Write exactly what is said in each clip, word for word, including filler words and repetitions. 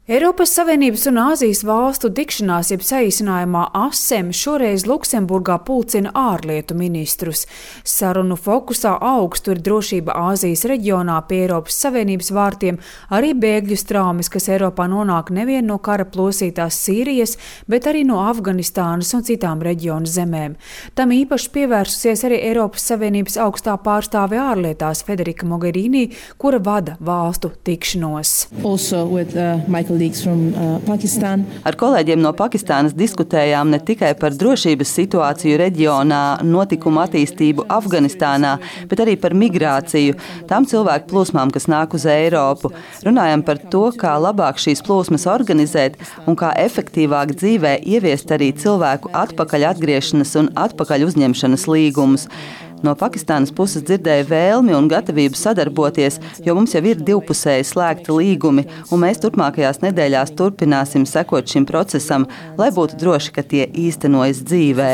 Eiropas Savienības un Āzijas valstu tikšanās, jeb saīsinājumā ASEM, šoreiz Luksemburgā pulcina ārlietu ministrus. Sarunu fokusā augstu ir drošība Āzijas reģionā pie Eiropas Savienības vārtiem, arī bēgļu straumes, kas Eiropā nonāk nevien no kara plosītās Sīrijas, bet arī no Afganistānas un citām reģionu zemēm. Tam īpaši pievērsusies arī Eiropas Savienības augstā pārstāve ārlietās Federica Mogherini, kura vada valstu tikšanos. Also with, uh, Michael From, uh, Ar kolēģiem no Pakistānas diskutējām ne tikai par drošības situāciju reģionā, notikumu attīstību Afganistānā, bet arī par migrāciju, tām cilvēku plūsmām, kas nāk uz Eiropu. Runājam par to, kā labāk šīs plūsmas organizēt un kā efektīvāk dzīvē ieviest arī cilvēku atpakaļ atgriešanas un atpakaļ uzņemšanas līgumus. No Pakistānas puses dzirdēja vēlmi un gatavību sadarboties, jo mums jau ir divpusēji slēgti līgumi, un mēs turpmākajās nedēļās turpināsim sekot šim procesam, lai būtu droši, ka tie īstenojas dzīvē.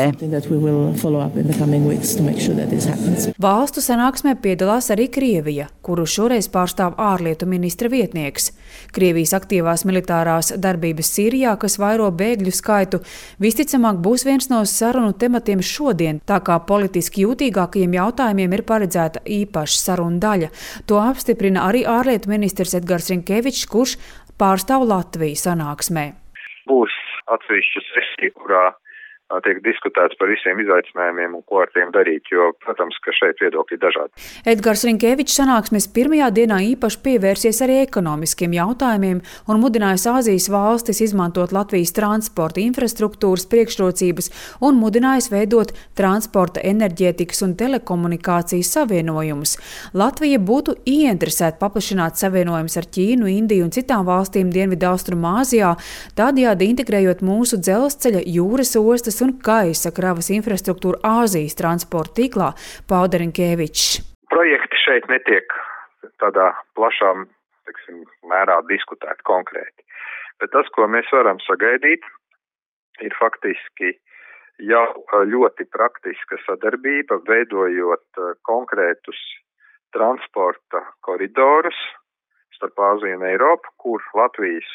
Valstu sanāksmē piedalās arī Krievija, kuru šoreiz pārstāv ārlietu ministra vietnieks. Krievijas aktīvās militārās darbības Sīrijā, kas vairo bēgļu skaitu, visticamāk būs viens no sarunu tematiem šodien, tā kā politiski jūtīgāk jautājumiem ir paredzēta īpaša saruna daļa. To apstiprina arī ārlietu ministrs Edgars Rinkevičs, kurš pārstāv Latviju sanāksmē. Būs atsevišķa sesija, kurā tiek diskutēts par visiem izaicinājumiem un ko ar tiem darīt, jo, protams, ka šeit viedokļi ir dažādi. Edgars Rinkevičs sanāksmes pirmajā dienā īpaši pievērsies arī ekonomiskiem jautājumiem un mudinājis Āzijas valstis izmantot Latvijas transporta infrastruktūras priekšrocības un mudinājis veidot transporta, enerģētikas un telekomunikācijas savienojumus. Latvija būtu ieinteresēta paplašināt savienojumus ar Ķīnu, Indiju un citām valstīm Dienvidaustrumāzijā, tādējādi integrējot mūsu dzelzceļa, jūras ostas un gaisa kravas infrastruktūru Āzijas transporta tīklā, pauda Rinkevičs. Projekti šeit netiek tādā plašā, teiksim, mērā diskutēti konkrēti. Bet tas, ko mēs varam sagaidīt, ir faktiski jau ļoti praktiska sadarbība, veidojot konkrētus transporta koridorus starp Āziju un Eiropu, kur Latvijas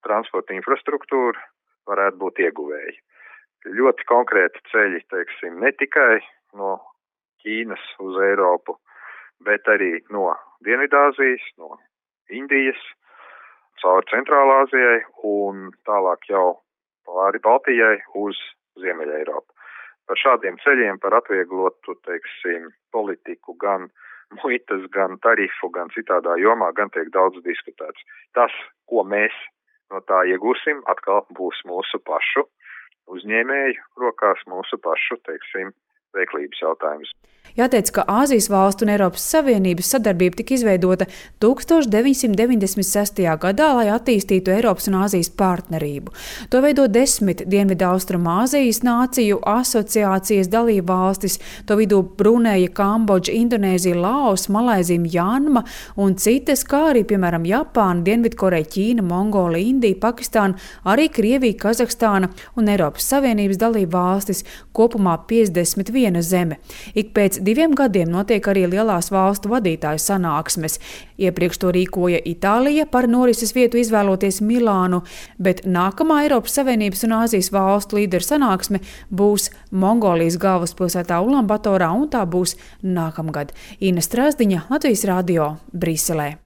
transporta infrastruktūra varētu būt ieguvēji. Ļoti konkrēti ceļi, teiksim, ne tikai no Ķīnas uz Eiropu, bet arī no Dienvidāzijas, no Indijas, caur Centrālāzijai un tālāk jau pāri Baltijai uz Ziemeļa Eiropu. Par šādiem ceļiem, par atvieglotu, teiksim, politiku gan muitas, gan tarifu, gan citādā jomā, gan tiek daudz diskutēts. Tas, ko mēs no tā iegūsim, atkal būs mūsu pašu uzņēmēju rokās, mūsu pašu, teiksim, veiklības jautājums. Jāteic, ka Āzijas valstu un Eiropas Savienības sadarbība tika izveidota tūkstoš deviņsimt deviņdesmit sestajā gadā, lai attīstītu Eiropas un Āzijas partnerību. To veido desmit Dienvidaustrumāzijas nāciju asociācijas dalību valstis, to vidū Bruneja, Kambodža, Indonēzija, Laos, Malaizija, Mjanma un citas, kā arī, piemēram, Japāna, Dienvidkoreja, Ķīna, Mongolija, Indija, Pakistāna, arī Krievija, Kazahstāna un Eiropas Savienības dalību valstis, kopumā piecdesmit viena zeme. Ik pēc diviem gadiem notiek arī lielās valstu vadītāju sanāksmes. Iepriekš to rīkoja Itālija, par norises vietu izvēloties Milānu, bet nākamā Eiropas Savienības un Āzijas valstu līderu sanāksme būs Mongolijas galvaspilsētā Ulanbatorā, un tā būs nākamgad. Ina Strasdiņa, Latvijas radio, Briselē.